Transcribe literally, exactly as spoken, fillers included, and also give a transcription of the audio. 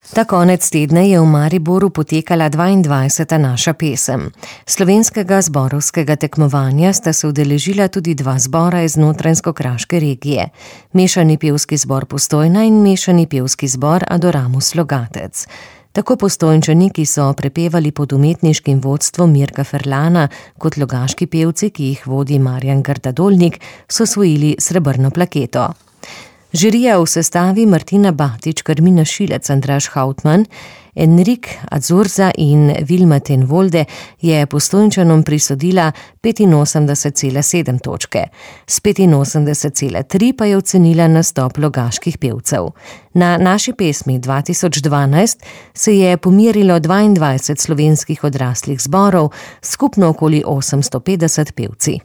Ta konec tedna je v Mariboru potekala dvaindvajseta Naša pesem. Slovenskega zborovskega tekmovanja sta se udeležila tudi dva zbora iz notranjsko-kraške regije. Mešani pevski zbor Postojna in mešani pevski zbor Adoramus Logatec. Tako Postojnčani, ki so prepevali pod umetniškim vodstvom Mirka Ferlana, kot logaški pevci, ki jih vodi Marjan Grda-Dolnik, so osvojili srebrno plaketo. Žirija v sestavi Martina Batič, Karmina Šilec, Andraž Hautman, Enrik Adzurza in Vilma ten Volde je Postojnčanom prisodila petinosemdeset cela sedem točke. S petinosemdeset cela tri pa je ocenila nastop logaških pevcev. Na Naši pesmi dva tisoč dvanajst se je pomerilo dvaindvajset slovenskih odraslih zborov, skupno okoli osemsto petdeset pevci.